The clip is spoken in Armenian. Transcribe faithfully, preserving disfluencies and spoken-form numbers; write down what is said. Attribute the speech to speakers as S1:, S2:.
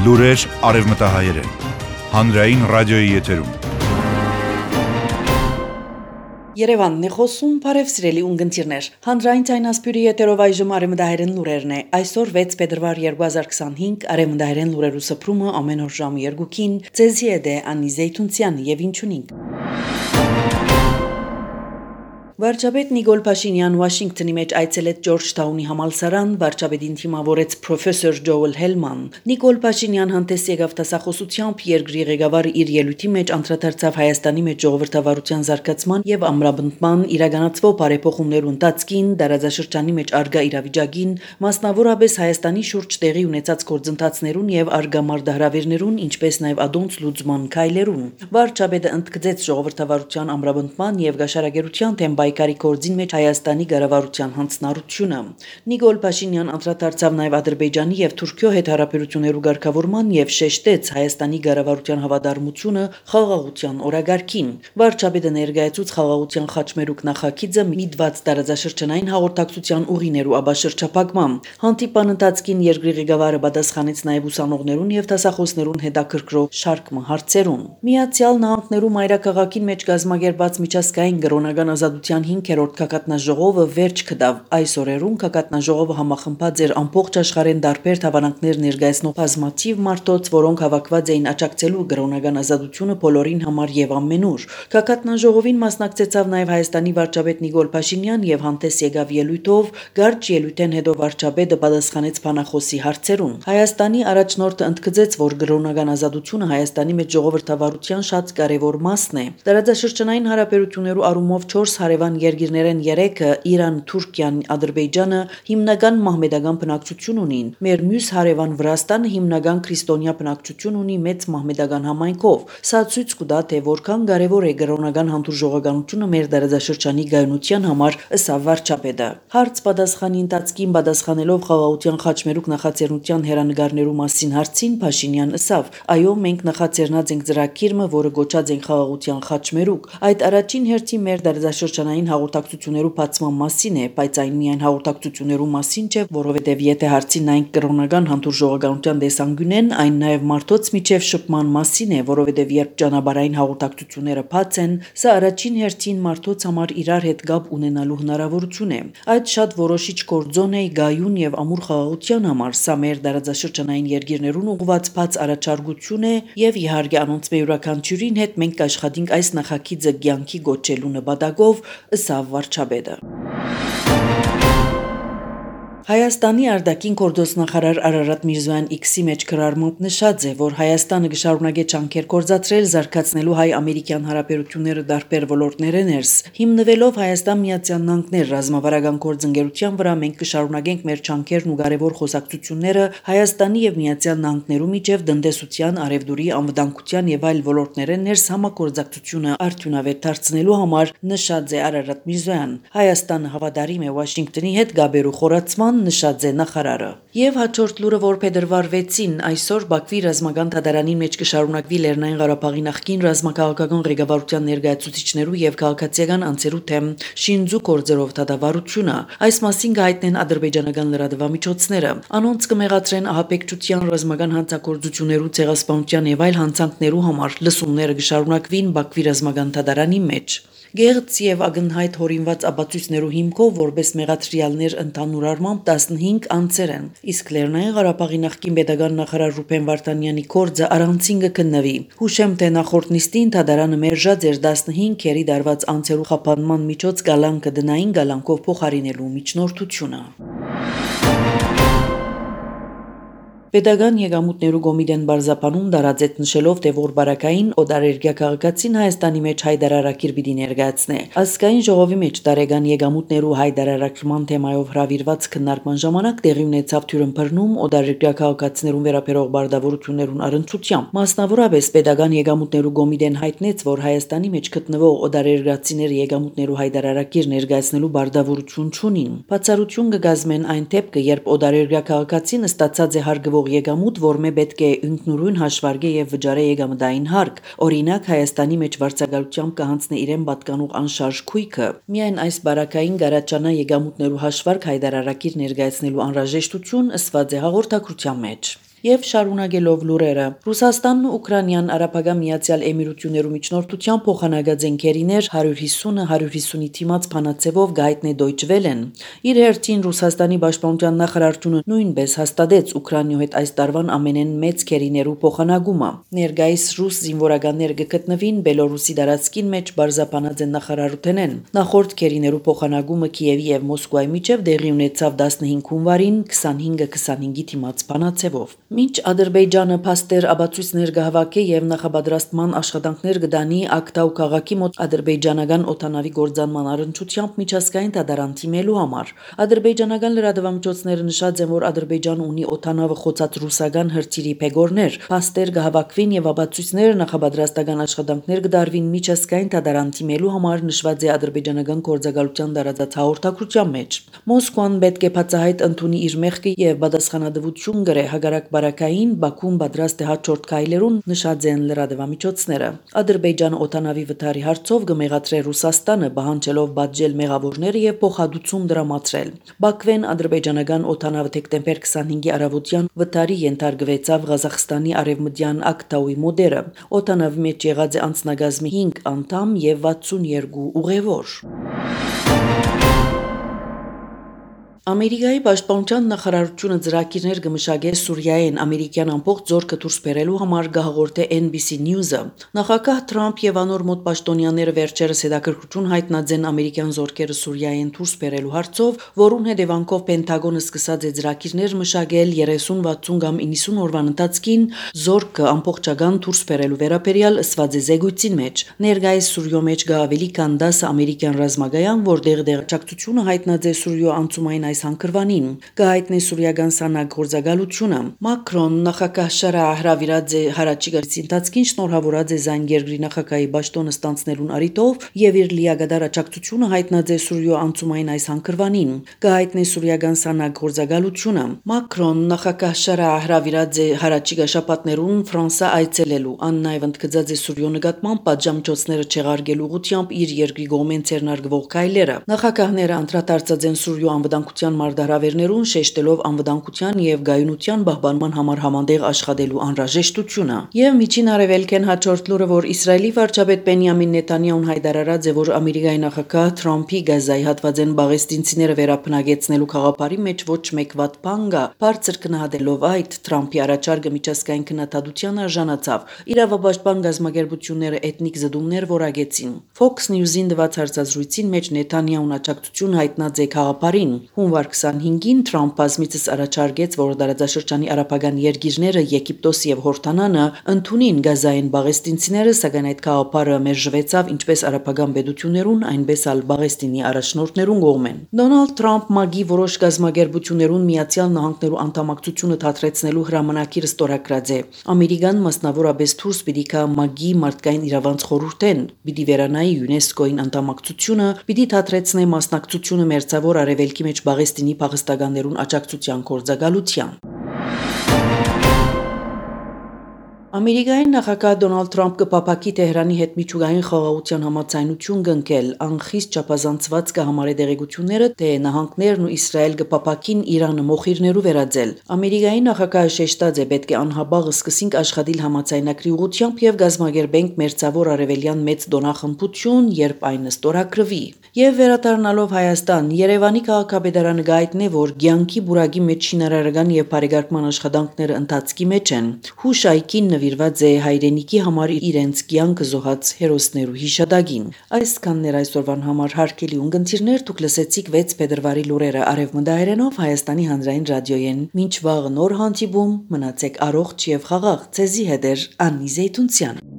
S1: Լուրեր արևմտահայերեն, հանրային ռադիոյի եթերում։
S2: Երևանն է խոսում, բարև սիրելի ունգընտիրներ։ Հանրային ցայնասպյուրի եթերով այժմ արևմտահայերեն լուրերն է։ Այսօր վեց փետրվար երկու հազար քսանհինգ արևմտահայերեն լուրերու սփռումը ամեն օր ժամը երկուքին ցեզի է դե Անի Զեյթունցյան եւ ինչունինք։ Վարչապետ Նիկոլ Փաշինյան Վաշինգտոնի մեջ այցելեց Ջորջթաունի համալսարան, վարչապետին թիմավորեց պրոֆեսոր Ջոել Հելման։ Նիկոլ Փաշինյան հանդես եկավ տասախոսությամբ երկրի ղեկավարը իր ելույթի մեջ անդրադարձավ Հայաստանի մեջ ժողովրդավարության զարգացման եւ ամրապնդման իրականացվող բարեփոխումներու ընթացքին, դարաձաշրջանի մեջ արգա իրավիճակին, մասնավորապես Հայաստանի շուրջ տեղի ունեցած գործընթացներուն եւ արգա մարտահրավերներուն, ինչպես նաեւ ադոնց լուծման քայլերուն։ Վարչապետը ընդգծեց ժողովրդավարության ամրապնդման եւ գաշարագերության թեմ Բայկարի կորձին մեջ Հայաստանի ղեկավարության հանձնառությունը։ Նիկոլ Փաշինյան անդրադարձավ նաև Ադրբեջանի եւ Թուրքիո հետ հարաբերություններու ղեկավարման եւ շեշտեց Հայաստանի ղեկավարության հավատարմությունը խաղաղության օրագարկին։ Վարչապետը ներկայացուց խաղաղության խաչմերուկ նախագիծը միտված տարածաշրջանային հաղորդակցության ուղիներու աբաշրջափակման։ Հանդիպան ընթացքին երկրի ղեկավարը պատասխանեց նաև ուսանողներուն եւ դասախոսներուն հետաքրքրող շարք հարցերուն։ Միացյալ Նահանգներու մայրաքաղաքին մեջ կազմակերպված միջազգային կրոնական ազատության հինգերորդ գագաթնաժողովը վերջ կդավ։ Այս օրերուն գագաթնաժողովը համախմբած էր ամբողջ աշխարհեն տարբեր հավանանքներ ներկայացնող բազմաթիվ մարդոց, որոնք հավաքված էին աջակցելու կրոնական ազատությունը բոլորին համար եւ ամենուր։ Գագաթնաժողովին մասնակցեցավ նաև Հայաստանի վարչապետ Նիկոլ Փաշինյան եւ հանդես եկավ ելույթով, գարջ ելույթեն հետո վարչապետը պատասխանեց բանախոսի հարցերուն։ Հայաստանի առաջնորդը ընդգծեց, որ կրոնական ազատությունը Հայաստանի մեջ ժողովրդավարության շատ կարևոր մասն է։ Տարածաշրջանային հարաբերություններու առումով չորս հարևան երկիրներեն երեքը Իրան, Թուրքիան, Ադրբեջանը հիմնական մահմեդական բնակչություն ունին։ Մեր մյուս հարևան Վրաստանը հիմնական քրիստոնյա բնակչություն ունի մեծ մահմեդական համայնքով։ Սա ցույց կտա, թե որքան կարևոր է կրոնական հանդուրժողականությունը մեր դարաձաշրջանի գայունության համար, ըստ վարչապետը։ Հարց պատասխանի ընթացքին պատասխանելով խաղաղության խաչմերուկ նախաձեռնության հերանեկարներու մասին հարցին Փաշինյան ասավ. «Այո, մենք նախաձեռնած ենք ծրագիրը, որը գոչած ենք խաղաղության խաչմերուկ։ Այդ առաջին հերթին մեր դարաձաշրջանային հաղորդակցություններու բացման մասին է, բայց այն միայն հաղորդակցություններու մասին չէ, որովհետև եթե հարցին նայենք կրոնական հանդուրժողականության տեսանկյունեն, այն նաև մարդոց միջև շփման մասին է, որովհետև երբ ճանապարհային հաղորդակցությունները բաց են, սա առաջին հերթին մարդոց համար իրար հետ կապ ունենալու հնարավորություն է։ Այդ շատ որոշիչ գործոն է գայուն եւ ամուր խաղաղության համար, սա մեր դարաձաշրջանային երկիրներուն ուղղված բաց առաջարկություն է եւ իհարկե անոնց յուրաքանչյուրին հետ մենք կաշխատենք այս նախագիծը կյանքի գոչելու նպատակով, ըստ վարչապետը։ Հայաստանի արտաքին գործոստնախարար Արարատ Միրզոյան X-ի մեջ գրառմամբ նշած է, որ Հայաստանը կշարունակի ջանքեր գործադրել զարգացնելու հայ-ամերիկյան հարաբերությունները տարբեր ոլորտներեն ներս։ Հիմնվելով Հայաստան Միացյալ Նահանգներ ռազմավարական գործընկերության վրա մենք կշարունակենք մեր ջանքերն ու կարևոր խոսակցությունները Հայաստանի եւ Միացյալ Նահանգներու միջև տնտեսության, արևդուրի, անվտանգության եւ այլ ոլորտներեն ներս համագործակցությունը արդյունավետ դարձնելու համար, նշած է Արարատ Միրզոյան։ Հայաստանը հավատարիմ է Վաշինգտոնի հետ գաբերու խորացման, նշած է նախարարը։ Եվ հաջորդ լուրը, որ փետրվար վեցին այսօր Բաքվի ռազմական դատարանի մեջ կշարունակվի Լեռնային Ղարաբաղի նախկին ռազմաքաղաքական ղեկավարության ներկայացուցիչներու եւ քաղաքացիական անձերու թեմ շինձու գործերով դատավարությունը։ Այս մասին կհայտնեն ադրբեջանական լրատվամիջոցները։ Անոնց կմեղադրեն ահաբեկչության, ռազմական հանցագործություններու, ցեղասպանության եւ այլ հանցանքներու համար լսումները կշարունակվին Բաքվի ռազմական դատարանի մեջ։ Գեղձ եւ ակնհայտ հորինված ապացույցներու հիմքով որպես մեղադրյալներ ընդհանուր առմամբ տասնհինգ անձեր են, իսկ Լեռնային Ղարաբաղի նախկին պետական նախարար Ռուբեն Վարդանյանի կորձը առանցին կքննվի։ Հուշեմ, թե նախորդ նիստին դատարանը մերժած էր տասնհինգ քերի դարված անձերու խափանման միջոց գալանկը դնային գալանկով փոխարինելու միջնորդությունը։ Պետական եկամուտներու կոմիտեն բարձապանում դարածեց նշելով, թե որ բարակային օդարերգյա քաղաքացին Հայաստանի մեջ հայդարարակիր պիտի ներկայացնե։ Ազգային ժողովի մեջ տարեկան եկամուտներու հայդարարակրման թեմայով հրավիրված քննարկման ժամանակ տեղի ունեցավ թյուրըմբռնում օդարերգյա քաղաքացիներուն վերաբերող բարդավորություններուն առընթությամբ։ Մասնավորապես պետական եկամուտներու կոմիտեն հայտնեց, որ Հայաստանի մեջ գտնվող օդարերգացիները եկամուտներու հայդարարակիր ներկայացնելու բարդավորություն չունին։ Բացառություն կգազմեն այն դեպքը, երբ օդարերգյա քաղաքացին ստացած է հարգվող եկամուտ, որ մե պետք է ինքնուրույն հաշվարկե եւ վճարե եկամտային հարկ։ Օրինակ Հայաստանի մեջ վարձակալությամբ կհանձնի իրեն պատկանող անշարժ քույքը։ Միայն այս բարակային գարաճանա եկամուտներու հաշվարկ հայդարարակիր ներկայացնելու անհրաժեշտություն ըսված է հաղորդակցության մեջ։ Եվ շարունակելով լուրերը, Ռուսաստանն Ուկրաինան Արաբական Միացյալ Էմիրություններու միջնորդությամբ փոխանակած ընկերիներ one fifty one fifty-ի թիմած փանացեվով գայտնե Deutsche Welle-ն։ Իր հերթին Ռուսաստանի պաշտպանության նախարարությունը նույնպես հաստատեց Ուկրաինայու հետ այս տարվան ամենեն մեծ քերիներու փոխանակումը։ Ներկայիս ռուս զինվորականներ գտնվին Բելորուսի դարածքին մեջ բարձապանած են նախարարութենեն։ Նախորդ քերիներու փոխանակումը Կիևի եւ Մոսկվայի միջև դեղի ունեցավ fifteen հունվարին twenty-five twenty-five-ի թիմած փանացեվով։ Մինչ Ադրբեջանը փաստեր աբացույցներ գահավաքի եւ նախապատրաստման աշխատանքներ գտանի Ակտաու քաղաքի մոտ ադրբեջանական օտանավի գործանման առընչությամբ միջազգային դատարան թիմելու համար, ադրբեջանական լրատվամիջոցները նշած են, որ Ադրբեջանը ունի օտանավը խոցած ռուսական հրթիռի փեգորներ, փաստեր գահավաքվին եւ աբացույցներ նախապատրաստական աշխատանքներ գդարվին միջազգային դատարան թիմելու համար նշված է ադրբեջանական գործակալության տարածած հաղորդակցության մեջ։ Մոսկվան պետք է բացահայտ ընդունի իր մեղքը եւ պատասխանատվություն գրե հագարակ բարակային Բաքուն պատրաստ է հաջորդ քայլերուն նշած են լրատվամիջոցները։ Ադրբեջանը օտանավի վթարի հարցով կմեղադրե Ռուսաստանը պահանջելով բաժել մեղավորները եւ փոխհատուցում դրամատրել։ Բաքվեն ադրբեջանական օտանավը դեկտեմբեր twenty-five-ի առավոտյան վթարի ենթարկվեցավ Ղազախստանի արևմտյան Ակտաուի մոդերը։ Օտանավի մեջ եղած է անձնագազմի five անդամ եւ sixty-two ուղևոր։ Ամերիկայի պաշտպանության նախարարությունը ծրագիրներ կմշակե Սուրիայեն ամերիկյան ամբողջ զորքը դուրս բերելու համար գահորտե N B C News-ը։ Նախագահ Թրամփ եւ անոր մոտ պաշտոնյաները վերջերս հետաքրքրություն հայտնած են ամերիկյան զորքերը Սուրիայեն դուրս բերելու հարցով, որուն հետևանքով Պենտագոնը սկսած է ծրագիրներ մշակել thirty sixty կամ ninety օրվան ընթացքին զորքը ամբողջական դուրս բերելու վերաբերյալ ըսված է զեկույցին մեջ։ Ներկայիս Սուրիո մեջ կա ավելի քան ten ամերիկյան ռազմագայան, որտեղ դեղեցակցությունը հայտնած է Սուրիո անցումային այս հանգրվանին։ Կհայտնի սուրիական սանակ գործակալությունը։ Մակրոն նախագահ Շարահ հրավիրած է հարաճիգարից ընթացքին շնորհավորած է զայն երկրի նախագահի պաշտոնը ստանցնելուն առիթով եւ իր լիագադար աջակցությունը հայտնած է Սուրիո անցումային այս հանգրվանին։ Կհայտնի սուրիական սանակ գործակալությունը։ Մակրոն նախագահ Շարահ հրավիրած է հարաճիգա շաբաթներուն Ֆրանսա այցելելու։ Ան նաեւ ընդգծած է Սուրիո նկատմամբ պատժամիջոցները չեղարկելու ուղղությամբ իր երկրի կողմեն ցերնարգվող քայլերը։ Նախագահները անդրադարձած են Սուրիո անվտանգության մարտահրավերներուն, շեշտելով անվտանգության եւ գայունության պահպանման համար համատեղ աշխատելու անհրաժեշտությունը։ Եվ միջին արևելքեն հաջորդ լուրը, որ Իսրայելի վարչապետ Բենյամին Նեթանյահուն հայտարարած է, որ Ամերիկայի նախագահ Թրամփի Գազայի հատվածեն բաղեստինցիները վերապնագեցնելու խաղապարի մեջ ոչ մեկ վատ բան կա։ Բարձր գնահատելով այդ, Թրամփի առաջարկը միջազգային քննադատության արժանացավ։ Իրավապաշտպան գազམ་ագերբությունները էթնիկ զդումներ որակեցին։ Fox News-ին տված հարցազրույցին մեջ Նեթանյահուն աջակցություն հայտնած է խաղապարին։ Հունվար twenty-five-ին Թրամփ բազմիցս առաջարկեց, որ տարածաշրջանի արաբական երկիրները Եգիպտոս եւ Հորդանանը ընդունին Գազային բաղեստինցիները, սակայն այդ խաղապարը մերժվեցավ ինչպես արաբական պետություններուն, այնպես էլ Բաղեստինի առաջնորդներուն կողմեն։ Դոնալդ Թրամփ ՄԱԳ-ի որոշ գազམ་ագերբություններուն Միացյալ Նահանգներու անդամակցությունը թատրեցնելու հրամանագիրը ստորագրած է։ Ամերիկան մասնավորապես դուրս պիտի գա ՄԱԳ-ի մարդկային իրավանց խորհուրդեն, պիտի վերանայի ՅՈՒՆԵՍԿՕ-ին անդամակցությունը, պիտի թատրեցնե մասնակցությունը մերձավոր արևելքի մեջ Բաղեստինի փախստականներուն աջակցության գործակալության։ Ամերիկայի նախագահ Դոնալդ Թրամփ կփապակի Թեհրանի հետ միջուկային խաղաղության համաձայնություն կնքել, անխիստ չափազանցված կհամարե դեղեցությունները, թե նահանգներն ու Իսրայել կփապակին Իրանը մոխիրներու վերածել։ Ամերիկայի նախագահը շեշտած է, պետք է անհաբաղ սկսենք աշխատել համաձայնագրի ուղղությամբ եւ գազམ་ագերբենք մերձավոր արևելյան մեծ դոնախմբություն, երբ այն ստորագրվի։ Եվ վերադառնալով Հայաստան, Երևանի քաղաքապետարանը գայտնե, որ ցանկի բուրագի մեջ շինարարական եւ բարեկարգման աշխատանքները ընթացքի մեջ են։ Հուշայքին նվիրված է հայրենիքի համար իրենց կյանքը զոհած հերոսներու հիշատակին։ Այսքանն էր այսօրվան համար հարգելի ունգընտիրներ, դուք լսեցիք six փետրվարի լուրերը արևմտահայերենով Հայաստանի հանրային ռադիոյեն։ Մինչ վաղ նոր հանդիպում, մնացեք առողջ եւ խաղաղ։ Ձեզի հետ է Աննի Զեյթունցյանը։